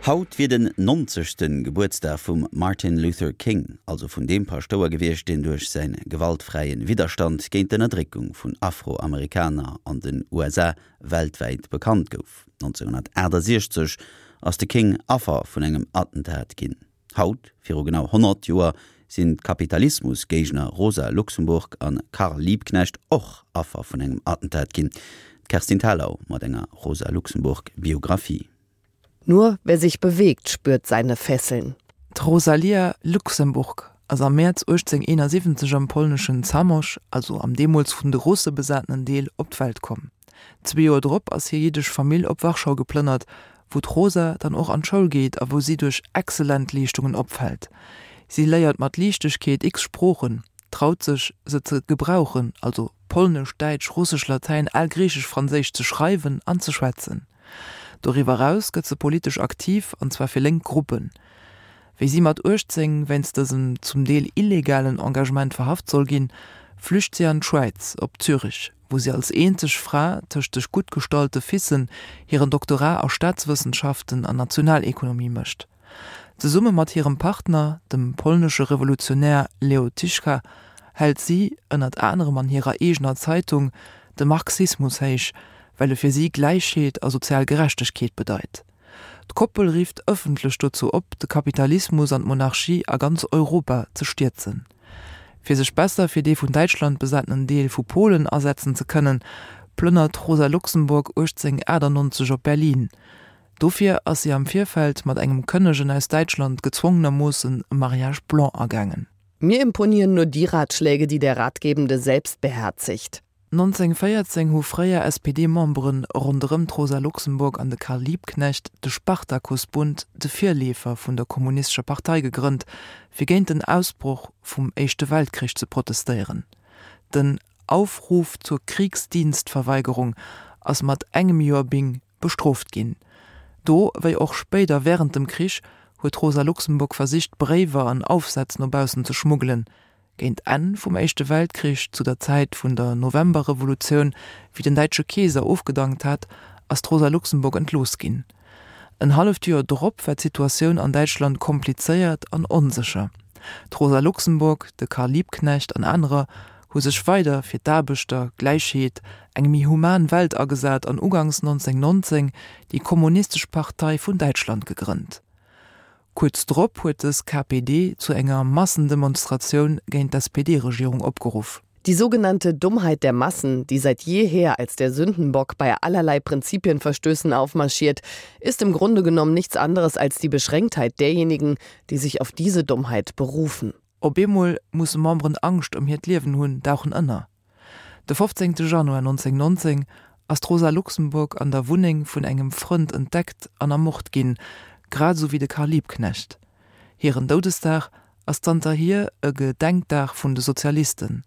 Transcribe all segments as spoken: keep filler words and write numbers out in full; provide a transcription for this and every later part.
Haut wier den nonzegste Gebuertsdag vum Martin Luther King, also vun deem Paschtouer gewiescht, deen duerch säi gewaltfräie Widderstand géint d'Ënnerdréckung vun Afroamerikaner an den U S A weltwäit bekannt gouf. nonzénghonnertaachtasechzeg ass de King Affer vun engem Attentat ginn. Haut, viru genau honnert Joer, sinn d'Kapitalismusgéigner Rosa Luxemburg an Karl Liebknecht och Affer vun engem Attentat ginn. D'Kerstin Thalau mat enger Rosa Luxemburg Biografie. Nur wer sich bewegt, spürt seine Fesseln. D'Rosalia Luxemburg ass am Mäerz uechtzénghonnerteenasiwwenzeg am polneschen Zamość, also am deemools vun de Russe besatenen Deel, op d'Welt komm. Zwee Joer drop ass hir jiddesch Famill op Warschau geplënnert, wou d'Rosa dann och an d'Schoul geet a wou si duerch exzellent Leeschtungen opfält. Si léiert mat Liichtegkeet x Sproochen, traut sech, se ze gebrauchen, also Polnesch, Däitsch, Russesch, Latäin, Algriichesch, Franséisch ze schreiwen an ze schwätzen. Doriwwer eraus gëtt se politesch aktiv, an zwar fir lénk Gruppen. Wéi si mat uechtzéng wéinst dësem zum Deel illegalen Engagement verhaft soll ginn, flücht si an d'Schwäiz, op Zürich, wou si als eenzeg Fra tëscht sech gutt gestallte Fissen hiren Doktorat a Staatswëssenschaften an Nationalekonomie mécht. Zesumme mat hirem Partner, dem polnesche Revolutionär Leo Tyszka, hält si, ënnert anerem an hirer eegener Zeitung, de Marxismus héich, well e fir si Gläichheet a sozial Gerechtegkeet bedeit. D'Koppel rifft ëffentlech dozou op, de Kapitalismus an d'Monarchie a ganz Europa ze stierzen. Fir sech besser fir dee vun Däitschland besatenen Deel vu Polen asetzen ze kënnen, plënnert d'Rosa Luxemburg uechtzénghonnertachtannonzeg op Berlin. Dofir ass si am Virfeld mat engem Kënnegen aus Däitschland gezwongenermoossen e Mariage blanc agaangen. Mir imponieren nur die Ratschläge, die der Ratgebende selbst beherzigt. nonzénghonnertvéierzéng hu fréier S P D-Membere ronderëm d'Rosa Luxemburg an de Karl Liebknecht de Spartakusbund, de Virleefer vun der Kommunistescher Partei, gegrënnt, fir géint den Ausbroch vum Éischte Weltkrich ze protestéieren. Den Aufruf zur Kriegsdienstverweigerung ass mat engem Joer Bing bestrooft ginn. Do, wéi och spéider wärend dem Krich, huet d'Rosa Luxemburg versicht, Bréiwer an Aufsätz no baussen ze schmuggelen. Géint Enn vum Éischte Weltkrich, zu der Zäit vun der Novemberrevolutioun, wéi den däitsche Keeser ofgedankt hat, ass d'Rosa Luxemburg entlooss ginn. En halleft Joer drop war d'Situatioun an Däitschland komplizéiert an onsécher. D'Rosa Luxemburg, de Karl Liebknecht an anerer hu sech weider fir d'Aarbechter, Gläichheet, eng méi human Welt agesat an uganks nonzénghonnertnonzéng déi Kommunistesch Partei vun Däitschland gegrënnt. Kuerz drop huet dës K P D zu enger Massendemonstratioun géint d'S P D-Regierung opgeruff. Die sogenannte Dummheit der Massen, die seit jeher als der Sündenbock bei allerlei Prinzipienverstößen aufmarschiert, ist im Grunde genommen nichts anderes als die Beschränktheit derjenigen, die sich auf diese Dummheit berufen. Op eemol musse Memberen Angscht ëm hiert Liewen hunn, dauchen ënner. De fofzéngte Januar nonzénghonnertnonzéng ass d'Rosa Luxemburg an der Wunneng vun engem Frënd entdeckt an ermort ginn, grad esou wéi de Karl Liebknecht. Hiren Doudesdag ass zanterhier e Gedenkdag vun de Sozialisten.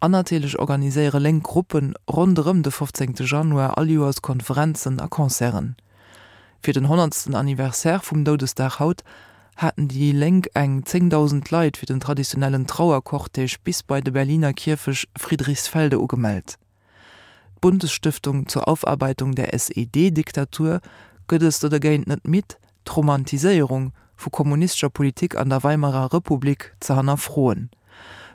An natierlech organiséiere lénk Gruppen ronderëm de fofzéngte Januar all Joers Konferenzen a Concerten. Fir den honnertsten Anniversaire vum Doudesdag haut haten déi Lénk eng zéngdausend Leit fir den traditionellen Trauercortège bis bei de Berliner Kierfecht Friedrichsfelde ugemellt. D'Bundesstiftung zur Aufarbeitung der S E D-Diktatur gëtt et dogéint net midd, d'Romantiséierung vu kommunistescher Politik an der Weimarer Republik ze hannerfroen.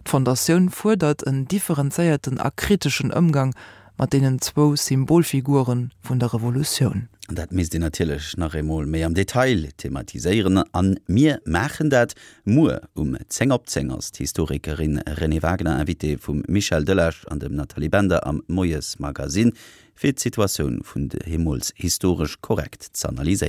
D'Fondatioun fuerdert en differenzéierten a kriteschen Ëmgang mat deenen zwou Symbolfigure vun der Revolutioun. An dat misst een natierlech nach eemol méi am Detail thematiséieren an mir maachen dat muer um zéng op zéng ass d'Historikerin Renée Wagener Invitée vum Michel Delage an dem Nathalie Bender am Moiesmagazin fir d'Situatioun vun deemools historesch korrekt z'analyséieren.